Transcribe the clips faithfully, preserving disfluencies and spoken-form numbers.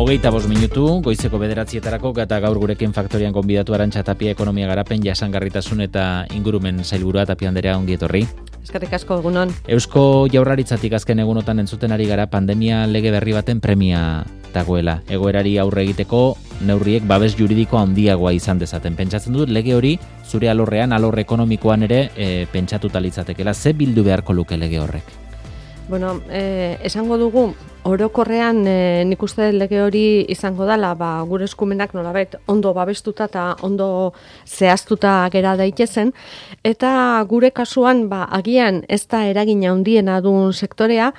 Hogeita bost minutu, goizeko bederatzietarako eta gaur gurekin faktorian gonbidatu Arantxa Tapia ekonomia garapen jasangarritasun eta ingurumen sailburua. Tapia Anderea, ongi etorri. Eskerrik asko, egunon. Eusko Jaurlaritzatik azken egunotan entzuten ari gara pandemia lege berri baten premia dagoela. Egoerari aurre egiteko neurriek babes juridiko handiagoa izan dezaten. Pentsatzen dut lege hori zure alorrean, alor ekonomikoan ere e, pentsatuta litzatekeela. Ze bildu beharko luke lege horrek? Bueno, eh, esango dugu, orokorrean eh, nik uste lege hori izango dela, ba, gure eskumenak nolabait ondo babestuta eta ondo zehaztuta gera daitezen, eta gure kasuan ba, agian ez da eragina handiena duen sektorea,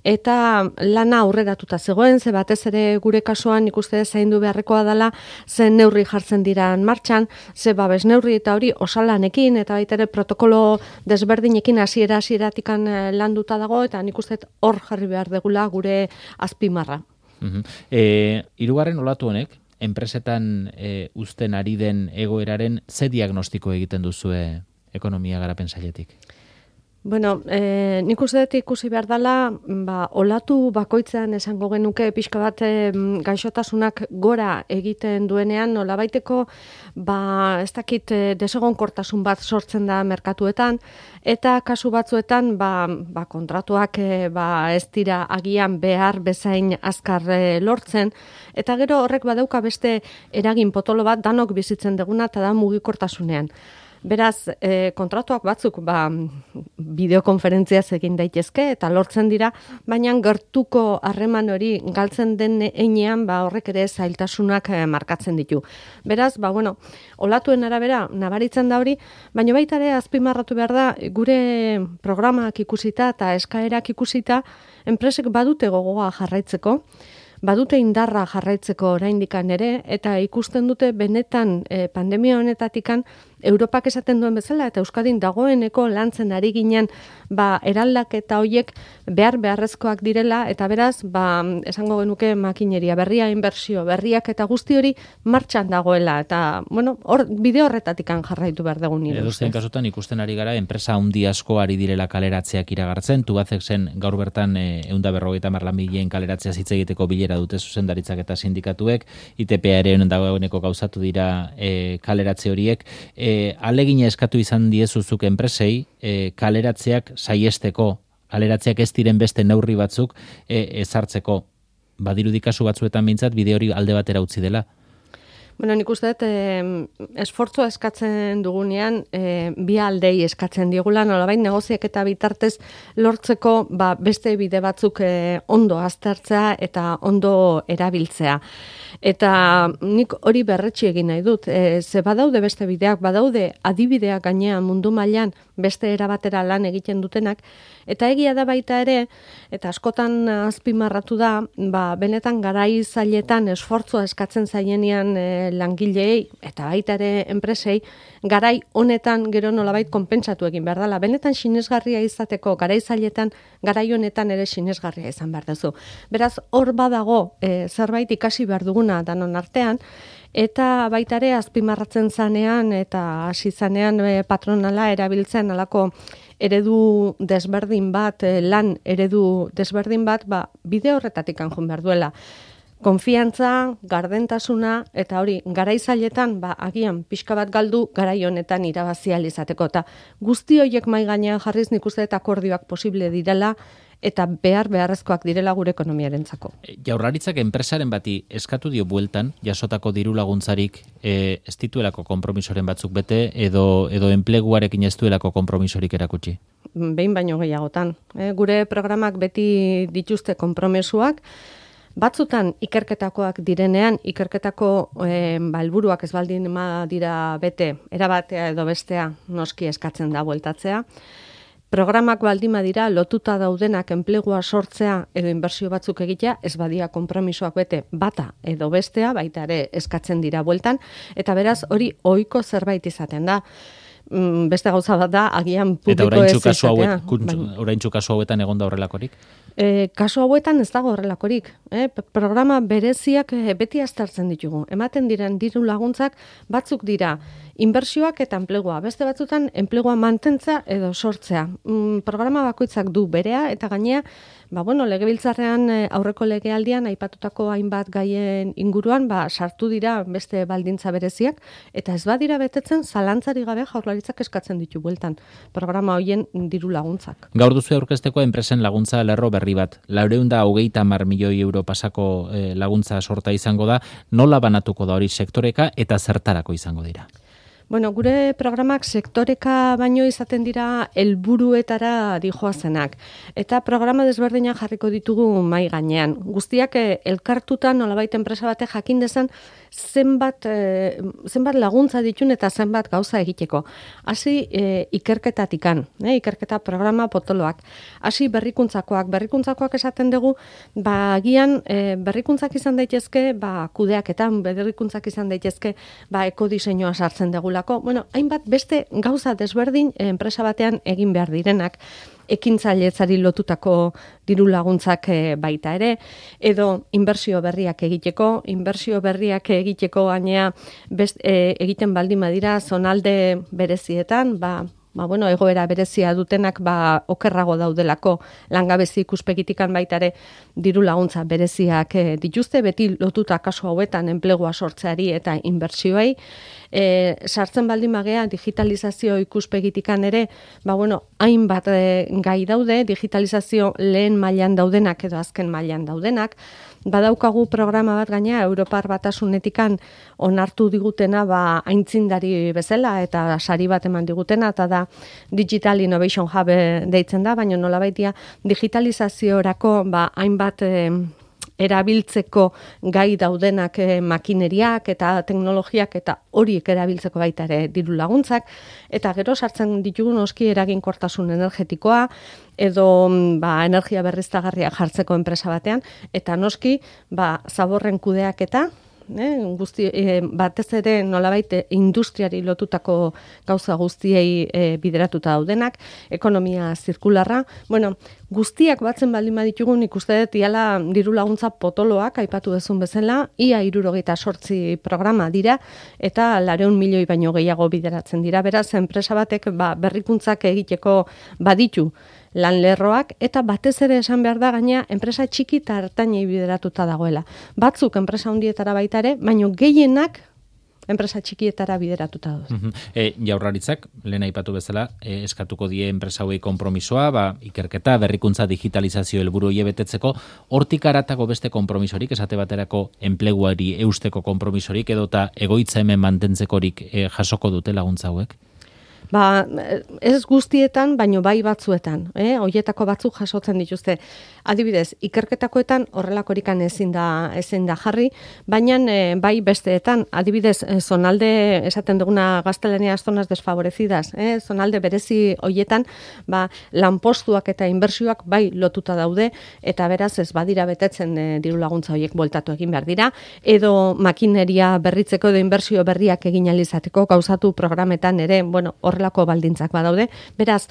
eta lana aurreratuta zegoen, ze batez ere gure kasuan nik uste zaindu beharrekoa dela, ze neurri jartzen dira martxan, ze babes neurri eta hori osalanekin, eta baita ere protokolo desberdinekin hasiera hasieratik landuta dago, eta nik uste hor jarri behar degula gure azpimarra. Uh-huh. E, hirugarren olatu honek, enpresetan e, uzten ari den egoeraren ze diagnostiko egiten duzue ekonomia garapen sailetik? Bueno, eh, nik uste dut ikusi behar dela, ba, olatu bakoitzean esango genuke pixka bat eh, gaixotasunak gora egiten duenean, nolabaiteko ba, ez dakit eh, desegonkortasun bat sortzen da merkatuetan, eta kasu batzuetan ba, ba, kontratuak eh, ba, ez dira agian behar bezain azkar eh, lortzen, eta gero horrek badauka beste eragin potolo bat danok bizitzen duguna eta da mugikortasunean. Beraz, e, kontratuak batzuk ba, bideokonferentziaz egin daitezke eta lortzen dira, baina gertuko harreman hori galtzen den heinean ba, horrek ere zailtasunak e, markatzen ditu. Beraz, ba, bueno, olatuen arabera nabaritzen da hori, baina baita ere azpimarratu behar da gure programak ikusita eta eskaerak ikusita enpresek badute gogoa jarraitzeko, badute indarra jarraitzeko oraindikan ere, eta ikusten dute benetan e, pandemia honetatikan Europak esaten duen bezala eta Euskadin dagoeneko lantzen ari ginen ba, eraldaketa horiek behar beharrezkoak direla, eta beraz, ba, esango genuke makineria berria, inbertsio berriak eta guzti hori martxan dagoela, eta bueno, hor, bide horretatikan jarraitu behar dugu nire. Edozein kasutan ikusten ari gara, enpresa handi asko ari direla kaleratzeak iragartzen, Tubacexen gaur bertan ehun eta berrogeita hamar langileen kaleratzea hitz egiteko bilera dute zuzendaritzak eta sindikatuek, I T P ere dagoeneko gauzatu dira e, kaleratze horiek. E, alegina eskatu izan diezuzuk enpresei e, kaleratzeak saiesteko, kaleratzeak ez diren beste neurri batzuk e, ezartzeko. Badirudi kasu batzuetan behintzat bide hori alde batera utzi dela. Bueno, nik uste dut, eh, esfortzua eskatzen dugunean, eh, bi aldei eskatzen diegula, nolabait negoziak eta bitartez lortzeko ba, beste bide batzuk eh, ondo aztertzea eta ondo erabiltzea. Eta nik hori berretsi egin nahi dut. E, ze badaude beste bideak, badaude adibideak gainean mundu mailan beste erabatera lan egiten dutenak, eta egia da baita ere, eta askotan azpimarratu da, ba, benetan garai zailetan esfortzua eskatzen zaienean e, langileei, eta baita ere enpresei, garai honetan gero nolabait konpentsatu egin behar dela. Benetan sinesgarria izateko garai zailetan, garai honetan ere sinesgarria izan behar duzu. Beraz, hor badago e, zerbait ikasi behar duguna danon artean, eta baita ere azpimarratzen zanean eta hasi zanean e, patronala erabiltzen alako eredu desberdin bat, e, lan eredu desberdin bat, ba, bide horretatik anjun behar duela. Konfiantza, gardentasuna, eta hori, garai zailetan, ba, agian, pixka bat galdu, garai honetan irabazi ahal izateko. Eta guzti horiek mai gainean jarriz nik uste eta akordioak posible direla, eta behar beharrezkoak direla gure ekonomiarentzako. Jaurlaritzak enpresaren bati eskatu dio bueltan, jasotako diru laguntzarik e, ez dituelako konpromisoren batzuk bete, edo, edo enpleguarekin ez duelako konpromisorik erakutsi? Behin baino gehiagotan. E, gure programak beti dituzte konpromesuak, batzutan ikerketakoak direnean, ikerketako e, balburuak ez baldin ma dira bete, erabatea edo bestea noski eskatzen da bueltatzea. Programak baldima dira lotuta daudenak enplegua sortzea edo inbertsio batzuk egitea, ez badia konpromisoak bete bata edo bestea, baita ere eskatzen dira bueltan, eta beraz hori ohiko zerbait izaten da. Beste gauza bat da, agian publiko ez izatea. Eta oraintzu kasu hauetan egon da horrelakorik? E, kasu hauetan ez dago horrelakorik. Eh? Programa bereziak beti aztertzen ditugu. Ematen diren diru laguntzak batzuk dira inbertsioak eta enplegua. Beste batzutan enplegua mantentza edo sortzea. Mm, programa bakoitzak du berea eta gainea, ba, bueno, legebiltzarrean aurreko legealdian aipatutako hainbat gaien inguruan ba, sartu dira beste baldintza bereziak eta ez badira betetzen zalantzari gabe Jaurlaritzak eskatzen ditu bueltan programa hoien diru laguntzak. Gaur duzu aurkezteko enpresen laguntza lerro berri bat. Laurehun eta hogeita hamar milioi euro pasako eh, laguntza sorta izango da. Nola banatuko da hori sektoreka eta zertarako izango dira? Bueno, gure programak sektoreka baino izaten dira helburuetara dijoazenak. Eta programa desberdinak jarriko ditugu mai gainean. Guztiak eh, elkartuta nolabait enpresa batek jakin dezan zenbat, eh, zenbat laguntza ditun eta zenbat gauza egiteko. Hasi eh, ikerketatikan, eh, ikerketa programa potoloak. Hasi berrikuntzakoak. Berrikuntzakoak esaten dugu, ba, agian eh, berrikuntzak izan daitezke, ba, kudeaketan, berrikuntzak izan daitezke, ba, ekodiseinua sartzen degula. Bueno, hainbat beste gauza desberdin enpresa batean egin behar direnak, ekintzailetzari lotutako diru laguntzak baita ere, edo inbertsio berriak egiteko, inbertsio berriak egiteko gainea best, e, egiten baldin badira zonalde berezietan, ba, ba, bueno, egoera berezia dutenak ba, okerrago daudelako langabezi ikuspegitikan baitare diru laguntza bereziak e, dituzte, beti lotuta kasu hauetan enplegua sortzeari eta inbertsioei. E, sartzen baldin bagea digitalizazio ikuspegitikan ere, ba, bueno, hainbat e, gai daude, digitalizazio lehen mailan daudenak edo azken mailan daudenak. Badaukagu programa bat gaina Europar Batasunetikan onartu digutena ba, aintzindari bezala eta sari bat eman digutena, eta da Digital Innovation Hub deitzen da, baina nolabaitia digitalizaziorako ba, hainbat e, erabiltzeko gai daudenak e, makineriak eta teknologiak eta horiek erabiltzeko baita ere diru laguntzak, eta gero sartzen ditugu noski eraginkortasun energetikoa edo ba, energia berriztagarria jartzeko enpresa batean, eta noski ba, zaborren kudeaketa, Eh, guzti, eh, batez ere nolabait industriari lotutako gauza guztiei eh, bideratuta daudenak, ekonomia zirkularra, bueno, guztiak batzen baldin baditugu, nik uste dut iala diru laguntza potoloak aipatu dezun bezala, ia hirurogeita zortzi programa dira, eta laurehun milioi baino gehiago bideratzen dira, beraz, enpresa batek ba, berrikuntzak egiteko baditu lan lerroak, eta batez ere esan behar da gaina enpresa txiki eta ertainei bideratuta dagoela. Batzuk enpresa handietara baita ere, baino gehienak enpresa txikietara bideratuta duz. E, Jaurlaritzak, lehen aipatu bezala, e, eskatuko die enpresa hauei konpromisoa, ba, ikerketa, berrikuntza, digitalizazio helburu hie betetzeko, hortik aratako beste konpromisorik, esate baterako enpleguari eusteko konpromisorik, edota egoitza hemen mantentzekorik e, jasoko dute laguntza hauek? Ba, ez guztietan, baino bai batzuetan, eh? Hoietako batzuk jasotzen dituzte. Adibidez, ikerketakoetan horrelakorikan ezin da ezin da jarri, baina e, bai besteetan, adibidez, zonalde esaten duguna gaztelaniaz zonas desfavorecidas, eh? Zonalde berezi hoietan, ba, lanpostuak eta inbertsioak bai lotuta daude, eta beraz ez badira betetzen e, diru laguntza hoiek bueltatu egin behar dira, edo makineria berritzeko edo inbertsio berriak egin ahal izateko gauzatu programetan ere, bueno, horrelako baldintzak badaude. Beraz,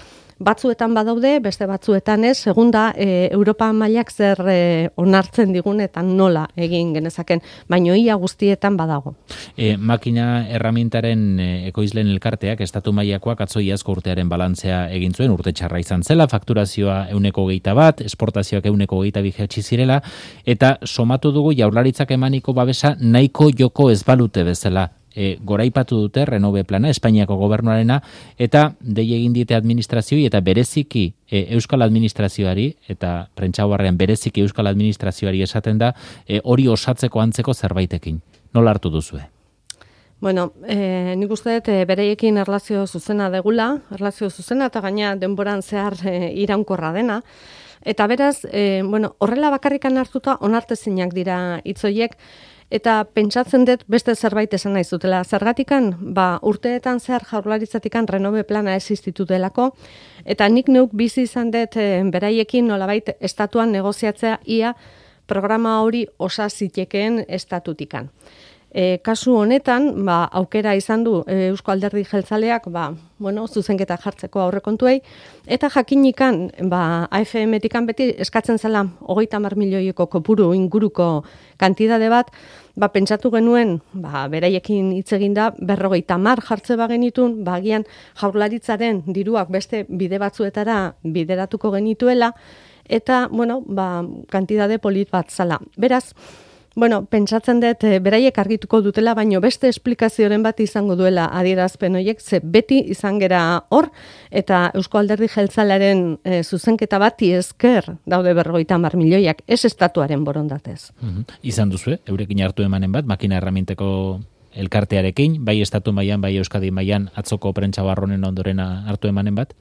batzuetan badaude, beste batzuetan ez, segunda e, Europa mailak zer e, onartzen digun eta nola egin genezaken, baino ia guztietan badago. E, makina erramintaren e, ekoizlen elkarteak, estatu mailakoak atzo iazko urtearen balantzea egin zuen, urte txarra izan zela, fakturazioa ehuneko hogeita bat, esportazioak ehuneko hogeita bi jaitsi zirela, eta somatu dugu Jaurlaritzak emaniko babesa nahiko joko ez balute bezala. E, goraipatu dute Renove plana, Espainiako gobernuarena, eta dei egin diete administrazioi eta bereziki e, Euskal Administrazioari, eta prentsabarrean bereziki Euskal Administrazioari esaten da, e, hori osatzeko antzeko zerbaitekin. Nola hartu duzue? Bueno, e, nik uste dut e, bereiekin erlazio zuzena degula, erlazio zuzena eta gaina denboran zehar e, iraunkorra dena. Eta beraz, e, bueno, horrela bakarrikan hartuta onartezinak dira hitzoiek, eta pentsatzen dut beste zerbait esan nahi zutela. Zergatikan, ba, urteetan zehar Jaurlaritzatikan Renove plana existitu delako, eta nik neuk bizi izan dut e, beraiekin nolabait estatuan negoziatzea ia programa hori osa zitekeen estatutikan. E, kasu honetan, ba, aukera izan du e, Eusko Alderdi Jeltzaleak, ba, bueno, zuzenketa jartzeko aurrekontuei, eta jakinikan, ba, A F M-tikan beti eskatzen zela hogeita hamar milioiko kopuru inguruko kantidade bat, ba, pentsatu genuen, ba, beraiekin hitz eginda, berrogeita hamar jartze bagenitun, ba, agian Jaurlaritzaren diruak beste bide batzuetara bideratuko genituela, eta, bueno, ba, kantidade polit bat zala. Beraz, bueno, pentsatzen dut, e, beraiek argituko dutela, baino beste esplikazioren bat izango duela adierazpen horiek, ze beti izan gera hor, eta Eusko Alderdi Jeltzalearen e, zuzenketa bati esker daude berrogeita hamar milioiak, ez estatuaren borondatez. Mm-hmm. Izan duzu, eurekin hartu emanen bat, makina erraminteko elkartearekin, bai estatu mailan, bai Euskadi mailan atzoko prentsa barronen ondorena hartu emanen bat?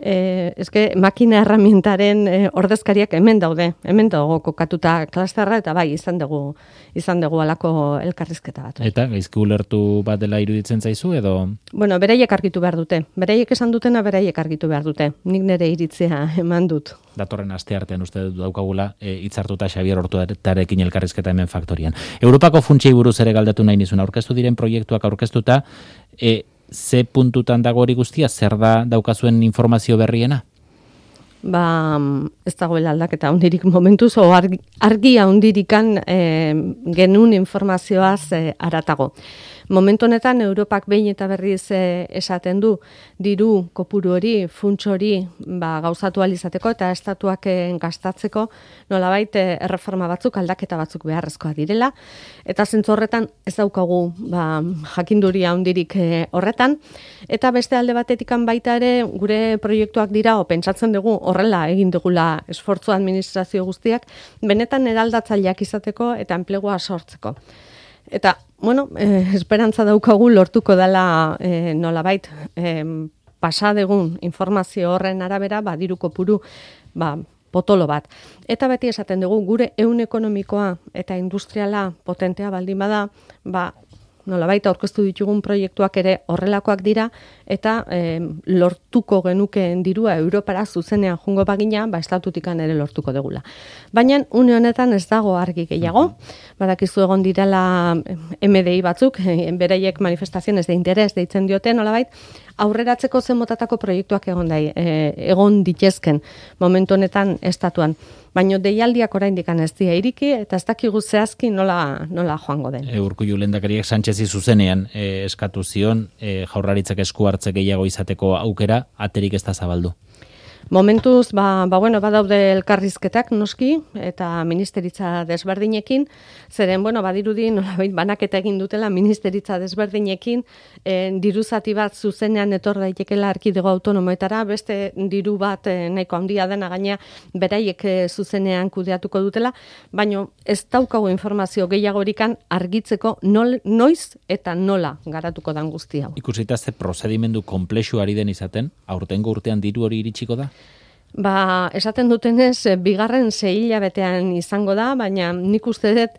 Eh, eske makina erramintaren eh, ordezkariak hemen daude, hemen dago kokatuta klasterra, eta bai, izan dugu izan dugu alako elkarrizketa bat. Eta gaizki ulertu bat dela iruditzen zaizu edo? Bueno, beraiek argitu behar dute. Beraiek esan dutena beraiek argitu behar dute. Nik nire iritzia eman dut. Datorren asteartean uste dut daukagula e, hitzartuta Xabier Ortuarekin elkarrizketa hemen faktorian. Europako funtsei buruz ere galdetu nahi nizun, aurkeztu diren proiektuak aurkeztuta, e, ze puntutan dago hori guztia, zer da daukazuen informazio berriena? Ba, ez dagoela aldaketa hundirik momentuz, o argi, argia hundirikan e, genuen informazioaz e, aratago. Momentu honetan, Europak behin eta berriz e, esaten du, diru kopuru hori, funts hori ba, gauzatu alizateko eta estatuak e, gastatzeko, nolabait e, erreforma batzuk, aldaketa batzuk beharrezkoa direla, eta zentzu horretan ez daukagu ba, jakinduria hundirik e, horretan, eta beste alde batetikan baita ere, gure proiektuak dira, o pentsatzen dugu, horrela egin dugula esfortzu administrazio guztiak, benetan eraldatzaileak izateko eta enplegua sortzeko. Eta, bueno, eh, esperantza daukagu lortuko dela eh, nolabait eh, pasadegun informazio horren arabera, ba, diru kopuru, ba, potolo bat. Eta beti esaten dugu, gure ehun ekonomikoa eta industriala potentea baldin bada, ba, nolabait aurkeztu ditugun proiektuak ere horrelakoak dira, eta eh, lortuko genukeen dirua Europara zuzenean jungo bagina, ba, estatutikan ere lortuko degula. Baina, une honetan ez dago argi gehiago, badakizu egon direla M D I batzuk, beraiek manifestaziones de interes deitzen diote, nolabait, aurreratzeko zen motatako proiektuak egon dai, e, egon ditezken momentu honetan estatuan. Baina deialdiak oraindik ez dira iriki eta ez dakigu zehazki nola, nola joango den. E, Urkullu lehendakariak Sánchezi zuzenean e, eskatu zion, e, Jaurlaritzak esku hartze gehiago izateko aukera, aterik ez da zabaldu. Momentuz, ba, ba bueno, badaude elkarrizketak noski, eta ministeritza desberdinekin, zeren, bueno, badirudi, nolabait banaketa egin dutela ministeritza desberdinekin, e, diru zati bat zuzenean etor daitekela erkidego autonomoetara, beste diru bat e, nahiko handia dena gaina beraiek e, zuzenean kudeatuko dutela, baina ez daukagu informazio gehiagorikan argitzeko nol, noiz eta nola garatuko dan guzti hau. Ikusita ze prozedimendu konplexu ari den izaten, aurtengo urtean diru hori iritsiko da? Ba, esaten dutenez, bigarren sei hilabetean izango da, baina nik uste dut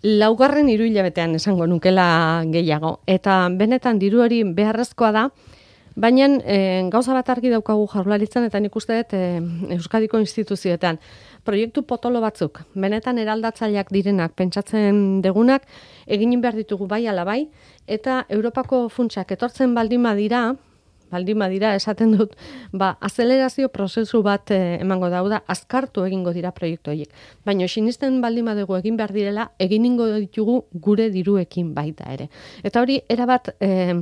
laugarren hiru hilabetean esango nukela gehiago. Eta benetan diru hori beharrezkoa da, baina e, gauza bat argi daukagu Jaurlaritzan eta nik uste dut e, Euskadiko instituzioetan. Proiektu potolo batzuk, benetan eraldatzaileak direnak, pentsatzen degunak, egin behar ditugu bai ala bai, eta Europako funtsak etortzen baldin badira, baldin badira esaten dut, ba, azelerazio prozesu bat eh, emango dauda, azkartu egingo dira proiektu horiek. Baina sinisten baldin badugu egin behar direla, eginingo ditugu gure diruekin baita ere. Eta hori, erabat eh,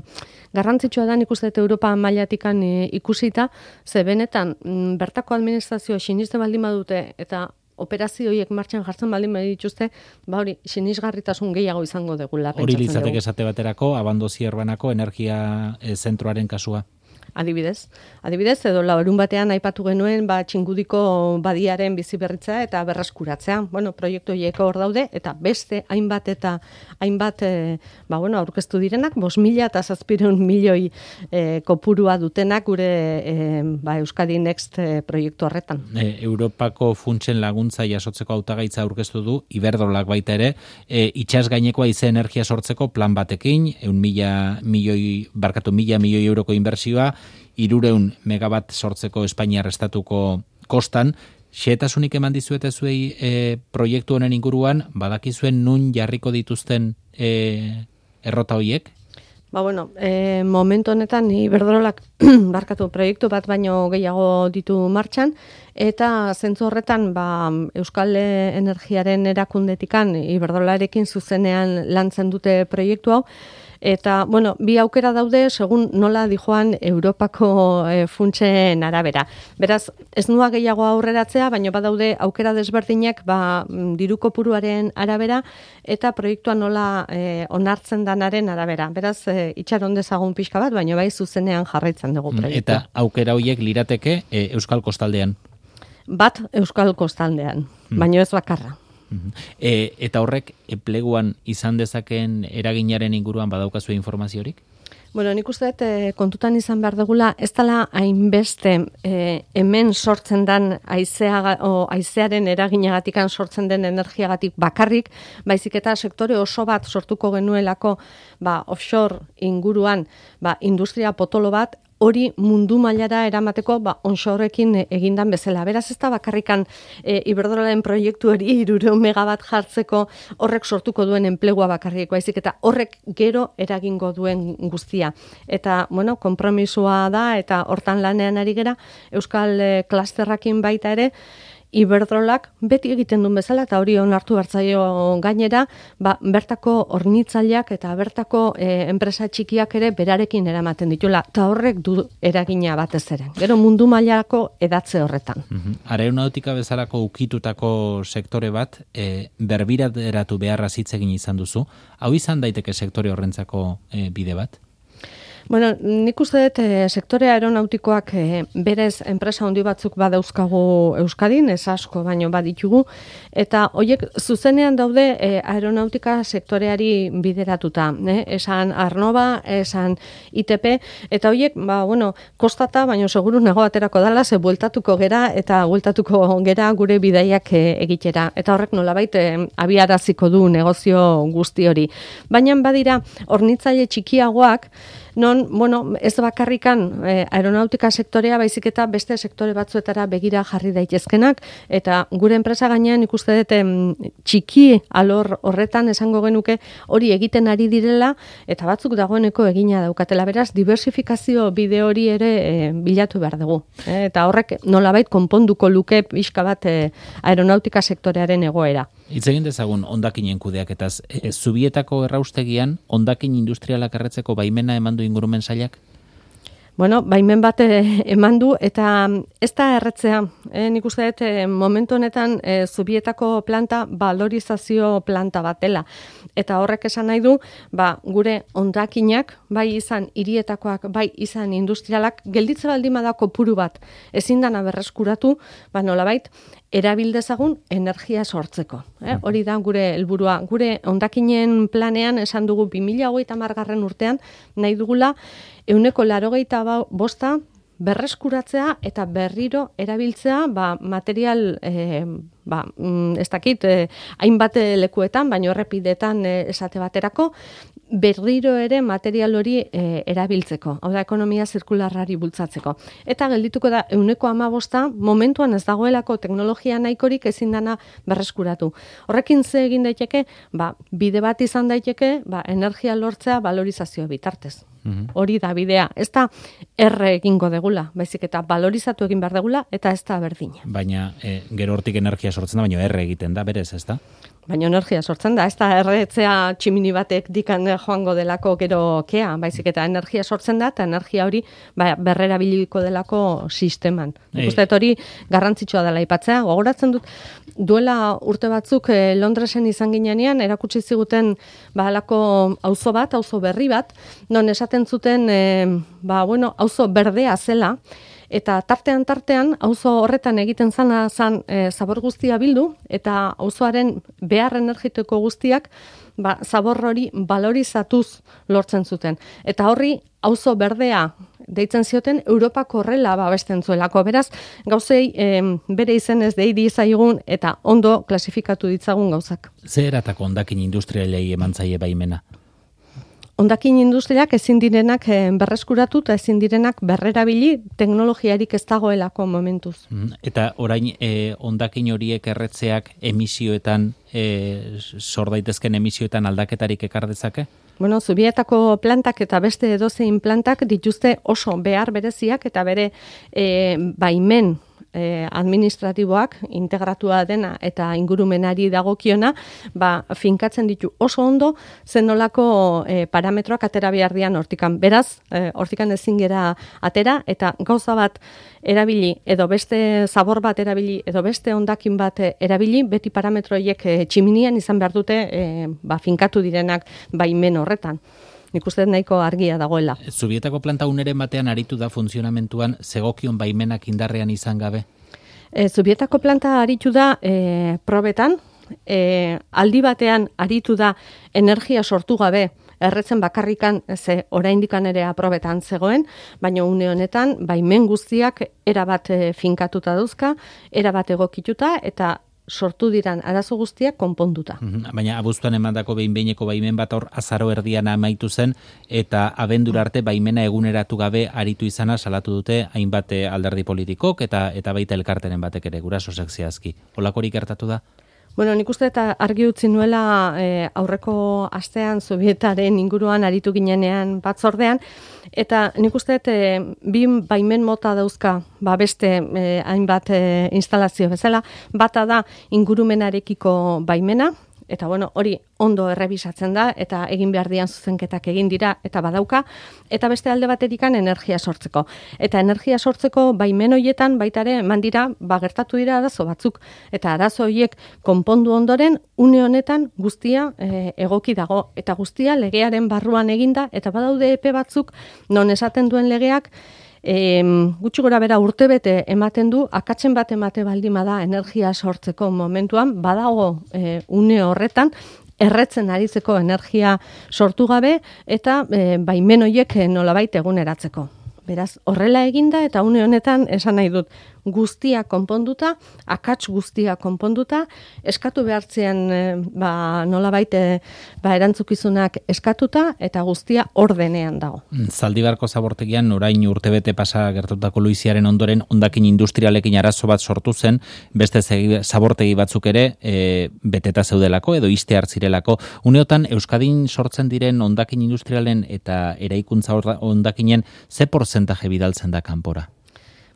garrantzitsua da nik uste dut Europa mailatikan eh, ikusita, ze benetan m, bertako administrazio sinisten baldin badute eta operazio horiek martxan jartzen baldin badituzte, ba hori, sinisgarritasun gehiago izango degula. Hori litzateke esate baterako, Abandozi Erbanako energia e, zentroaren kasua. Adibidez, adibidez, edo larun batean aipatu genuen ba, Txingudiko badiaren biziberritza eta berreskuratzea. Bueno, proiektu horiek hor daude, eta beste hainbat eta hainbat e, ba, bueno, aurkeztu direnak, bost mila eta zazpireun milioi e, kopurua dutenak gure e, ba, Euskadi Next e, proiektu horretan. E, Europako funtsen laguntza jasotzeko hautagaitza aurkeztu du, Iberdrolak baita ere, e, itxas gainekoa ize energia sortzeko plan batekin, eun mila milioi, barkatu mila milioi euroko inbertsioa, irureun megabat sortzeko Espainiar estatuko kostan, xehetasunik eman dizuete zuei e, proiektu honen inguruan, badakizuen nun jarriko dituzten e, errota horiek? Ba, bueno, e, momentu honetan Iberdrolak barkatu proiektu bat baino gehiago ditu martxan, eta zentzu horretan ba, Euskal Energiaren erakundetikan Iberdrolarekin zuzenean lantzen dute proiektu hau, eta, bueno, bi aukera daude, segun nola dijoan Europako e, funtsen arabera. Beraz, ez nua gehiago aurreratzea, baina badaude aukera desberdinak ba, diru kopuruaren arabera, eta proiektua nola e, onartzen danaren arabera. Beraz, e, itxaron dezagun pixka bat, baina bai zuzenean jarraitzen dugu proiektua. Eta aukera horiek lirateke e, Euskal Kostaldean? Bat Euskal Kostaldean, hmm. baina ez bakarra. E, eta horrek enpleguan izan dezakeen eraginaren inguruan badaukazu informaziorik? Bueno, nik uste dut e, kontutan izan behar dugula, ez dela hainbeste e, hemen sortzen den haizea, o, haizearen eraginagatikan sortzen den energiagatik bakarrik, baizik eta sektore oso bat sortuko genuelako ba, offshore inguruan ba, industria potolo bat, hori mundu mailara eramateko ba, onshoreekin egindan bezala. Beraz ez da bakarrikan e, Iberdrolaren proiektu hori hirurehun megabat jartzeko horrek sortuko duen enplegua bakarrik, baizik eta horrek gero eragingo duen guztia. Eta, bueno, konpromisua da eta hortan lanean ari gera Euskal e, klasterrakin baita ere, Iberdrolak beti egiten duen bezala, eta hori onartu hartzaio gainera, ba, bertako hornitzaileak eta bertako e, enpresa txikiak ere berarekin eramaten ditula, eta horrek du eragina batez ere. Gero mundu mailako edatze horretan. Uh-huh. Aeronautika bezalako ukitutako sektore bat, e, berbiraderatu beharra hitz egin izan duzu, hau izan daiteke sektore horrentzako e, bide bat? Bueno, nik uste dut e, sektore aeronautikoak e, berez enpresa handi batzuk badauzkagu Euskadin, ez asko baino baditugu, eta horiek zuzenean daude e, aeronautika sektoreari bideratuta. Eh? Esan Arnova, esan I T P, eta horiek, ba, bueno, kostata, baino seguru nego aterako dala, ze bueltatuko gera, eta bueltatuko gera gure bidaiak e, egitera. Eta horrek nolabait e, abiaraziko du negozio guzti hori. Baina badira, hornitzaile txikiagoak, non, bueno, ez bakarrikan eh, aeronautika sektorea, baizik eta beste sektore batzuetara begira jarri daitezkenak, eta gure enpresa gainean ikuste dut txiki alor horretan esango genuke hori egiten ari direla, eta batzuk dagoeneko egina daukatela. Beraz, diversifikazio bide hori ere eh, bilatu behar dugu. Eh, eta horrek nolabait konponduko luke pixka bat eh, aeronautika sektorearen egoera. Hitz egin dezagun hondakinen kudeaketaz. E, Zubietako erraustegian hondakin industrialak erretzeko baimena eman du ingurumen sailak? Bueno, baimen bat eman du, eta ez da erretzea. E, nik uste dut, e, momentu honetan e, Zubietako planta valorizazio planta bat dela. Eta horrek esan nahi du, ba, gure hondakinak, bai izan hirietakoak, bai izan industrialak, gelditze baldin bada kopuru bat ezin dana berreskuratu, ba nolabait, erabildezagun energia sortzeko. Eh? Hori da gure helburua. Gure hondakinen planean esan dugu bi mila hogeita hamargarren urtean nahi dugula ehuneko laurogeita bosta berreskuratzea eta berriro erabiltzea ba, material eh, ba, ez dakit eh, hainbat lekuetan, baino errepidetan eh, esate baterako, berriro ere material hori e, erabiltzeko, hau da ekonomia zirkularrari bultzatzeko. Eta geldituko da ehuneko hamabosta momentuan ez dagoelako teknologia nahikorik ezin dana berreskuratu. Horrekin ze egin daiteke, ba, bide bat izan daiteke, ba, energia lortzea valorizazio bitartez. Mm-hmm. Hori da bidea. Ez da erre egingo degula, baizik eta valorizatu egin behar degula, eta ez da berdina. Baina e, gero hortik energia sortzen da, baina erre egiten da, berez, ez da? Baina energia sortzen da, ez da erretzea tximini batek dikan joango delako gero kea, baizik eta energia sortzen da, eta energia hori ba, berrerabiliko delako sisteman. Ikustet hori garrantzitsua dela aipatzea. Gogoratzen dut, duela urte batzuk eh, Londresen izan ginean, erakutsi ziguten ba, alako auzo bat, auzo berri bat, non esaten zuten, eh, ba, bueno, auzo berdea zela, eta tartean tartean auzo horretan egiten zana zan e, zabor guztia bildu, eta auzoaren behar energetiko guztiak ba, zabor hori valorizatuz lortzen zuten. Eta horri auzo berdea deitzen zioten Europako horrela babesten zuelako. Beraz, gauzei e, bere izenez deidi zaigun eta ondo klasifikatu ditzagun gauzak. Ze eratako hondakin industrialei eman zaie baimena? hondakin industriak ezin direnak berreskuratu eta ezin direnak berrerabili teknologiarik ez dagoelako momentuz. Eta orain eh, hondakin horiek erretzeak emisioetan, eh, sor daitezken emisioetan aldaketarik ekar dezake? Bueno, Zubietako plantak eta beste edozein plantak dituzte oso behar bereziak eta bere eh, baimen eh, administratiboak integratua dena eta ingurumenari dagokiona, ba, finkatzen ditu oso ondo zenolako eh, parametroak atera behar dian hortikan. Beraz, eh, hortikan ezin gera atera eta gauza bat erabili edo beste zabor bat erabili edo beste hondakin bat erabili, beti parametroiek eh, tximinian izan behar dute eh, ba, finkatu direnak baimen horretan. Nik uste nahiko argia dagoela. Zubietako planta uneren batean aritu da funtzionamentuan zegokion baimenak indarrean izan gabe? E, Zubietako planta aritu da e, probetan, e, aldi batean aritu da energia sortu gabe, erretzen bakarrikan ze oraindikan ere aprobetan zegoen, baina une honetan baimen guztiak erabat e, finkatuta dauzka, erabat egokituta eta sortu diran arazo guztiak konponduta. Baina abuztuan emandako behin-behineko baimen bat hor azaro erdian amaitu zen eta abendura arte baimena eguneratu gabe aritu izana salatu dute hainbat alderdi politikok eta eta baita elkarteren batek ere guraso sekziazki. Holakorik gertatu da? Bueno, nik uste eta argi utzi nuela e, aurreko astean Zubietaren inguruan aritu ginenean batzordean, eta nik uste e, bi baimen mota dauzka ba beste e, hainbat e, instalazio bezala, bata da ingurumenarekiko baimena, eta bueno, hori ondo errebisatzen da, eta egin behar dian zuzenketak egin dira, eta badauka, eta beste alde baterikan energia sortzeko. Eta energia sortzeko baimen hoietan baitare eman dira, ba gertatu dira arazo batzuk, eta arazo horiek konpondu ondoren, une honetan guztia e, egoki dago, eta guztia legearen barruan eginda, eta badaude epe batzuk, non esaten duen legeak, E, gutxi gora bera urtebete ematen du, akatzen bat emate baldima da energia sortzeko momentuan, badago e, une horretan, erretzen aritzeko energia sortu gabe eta e, baimen horiek nolabait eguneratzeko. Beraz, horrela eginda eta une honetan esan nahi dut guztia konponduta, akats guztia konponduta, eskatu behartzean e, ba, nolabait e, ba, erantzukizunak eskatuta eta guztia ordenean dago. Zaldibarko zabortegian orain urtebete pasa gertatutako luiziaren ondoren hondakin industrialekin arazo bat sortu zen, beste zabortegi batzuk ere e, beteta zeudelako edo iste hartzirelako. Uneotan Euskadin sortzen diren hondakin industrialen eta eraikuntza hondakinen ze portzentaje bidaltzen da kanpora?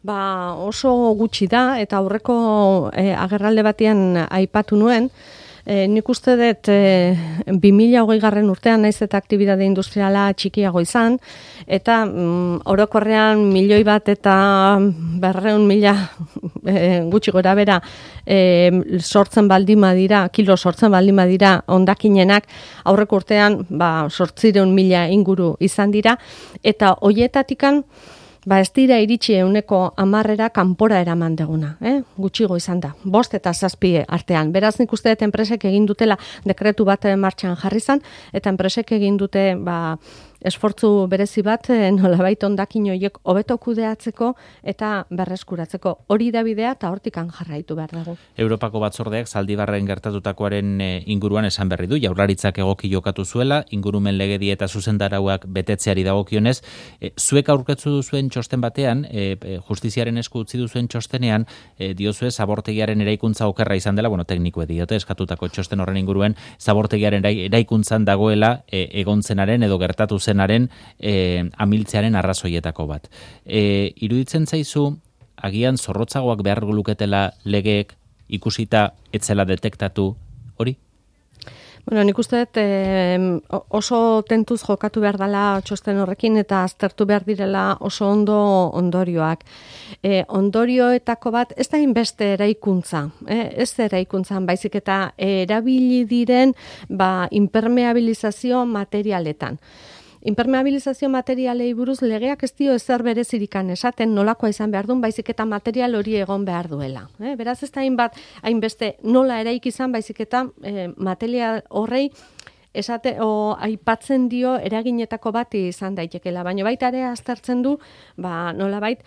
Ba, oso gutxi da, eta aurreko e, agerralde batean aipatu nuen, e, nik uste dut e, bi mila hogei garren urtean naiz eta aktibitate industriala txikiago izan, eta mm, orokorrean milioi bat eta berreun mila e, gutxi gora bera e, sortzen baldima dira, kilo sortzen baldima dira hondakinenak, aurreko urtean ba, sortzireun mila inguru izan dira, eta hoietatikan ba ez dira iritsi euneko hamarrera kanpora eraman deguna, eh? Gutxigo izan da, bost eta zazpi artean. Beraz nik uste dut enpresek egin dutela dekretu bat martxan jarri zan, eta enpresek egin dute ba, esfortzu berezi bat nolabait hondakin horiek hobeto kudeatzeko eta berreskuratzeko. Hori da bidea eta hortikan jarraitu behar dugu. Europako batzordeak Zaldibarren gertatutakoaren inguruan esan berri du, Jaurlaritzak egoki jokatu zuela, ingurumen legedi eta zuzendarauak betetzeari dagokionez, e, zuek aurkeztu duzuen txosten batean, e, justiziaren esku utzi duzuen txostenean, e, diozue zabortegiaren eraikuntza okerra izan dela, bueno, teknikoe diote, eskatutako txosten horren inguruen, zabortegiaren eraikuntzan dagoela e, egontzenaren edo gertatu zenaren e, amiltzearen arrazoietako bat. E, iruditzen zaizu, agian zorrotzagoak behar luketela legeek ikusita etzela detektatu hori? Bueno, nik uste dut eh, oso tentuz jokatu behar dela txosten horrekin eta aztertu behar direla oso ondo ondorioak. E, ondorioetako bat ez da inbeste eraikuntza, eh? ez eraikuntzan baizik eta erabili diren ba, impermeabilizazio materialetan. Impermeabilizazio materialei buruz legeak ez dio ezer berezirikan esaten nolakoa izan behar duen, baizik eta material hori egon behar duela. Eh? Beraz ez da hainbat, hainbeste nola eraik izan, baizik eta eh, material horrei esate o aipatzen dio eraginetako bat izan daitekela, baina baita ere aztertzen du, ba nolabait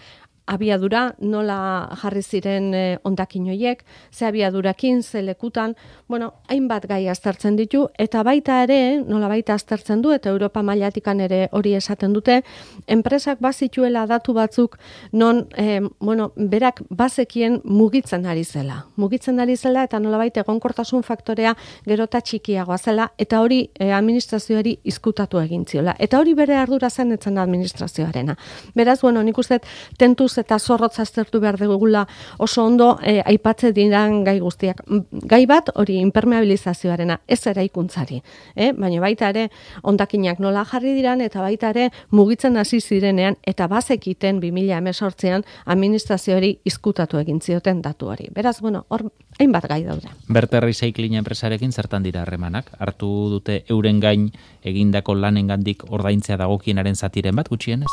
abiadura, nola jarri ziren e, ondakin hoiek, ze abiadurakin, ze lekutan, bueno, hainbat gai aztertzen ditu, eta baita ere, nola baita aztertzen du, eta Europa mailatikan ere hori esaten dute, enpresak bazituela datu batzuk, non, e, bueno, berak bazekien mugitzen ari zela. Mugitzen ari zela, eta nola baita egonkortasun faktorea gerota txikiagoa zela, eta hori e, administrazioari izkutatu egin ziola. Eta hori bere ardura zen etzen administrazioarena. Beraz, bueno, nik uste tentuz eta zorrotz aztertu behar dugula oso ondo e, aipatze diran gai guztiak. Gai bat hori impermeabilizazioarena, ez eraikuntzari. Eh? Baina baita ere hondakinak nola jarri diran eta baita ere mugitzen hasi zirenean eta bazekiten bi mila hemezortzian administrazioari izkutatu egin zioten datu hori. Beraz, bueno, hor hainbat gai daude. Berta Recycling enpresarekin zertan dira harremanak? Hartu dute euren gain egindako lanengandik ordaintzea dagokienaren zatiren bat gutxienez?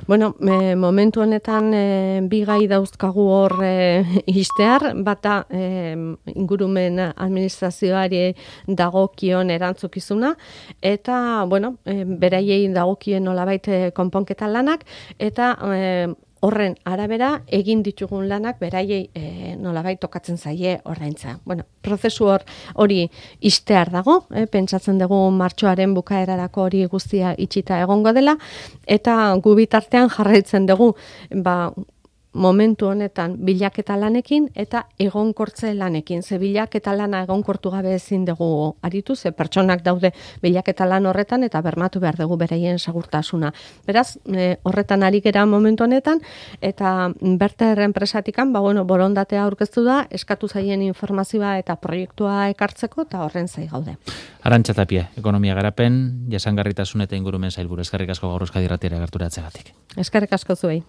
Bueno, e, momentu honetan e, bi gai dauzkagu hor e, istear, bata e, ingurumen administrazioari dagokion erantzukizuna, eta, bueno, e, beraiei dagokien nolabait konponketa lanak, eta e, horren arabera egin ditugun lanak beraiei e, nolabait tokatzen zaie ordaintza. Bueno, prozesu hor hori istear dago, eh, pentsatzen dugu martxoaren bukaerarako hori guztia itxita egongo dela, eta gu bitartean jarraitzen dugu, ba, momentu honetan bilaketa lanekin eta egonkortze lanekin. Ze bilaketa lana egonkortu gabe ezin dugu aritu, ze pertsonak daude bilaketa lan horretan eta bermatu behar dugu beraien segurtasuna. Beraz, e, horretan ari gera momentu honetan, eta Berta enpresatikan, ba, bueno, borondatea aurkeztu da, eskatu zaien informazioa eta proiektua ekartzeko, eta horren zai gaude. Arantxa Tapia, ekonomia garapen, jasangarritasun eta ingurumen sailburu. Eskerrik asko gaur Euskadi Irratiara gerturatzeagatik. Eskerrik asko zuei.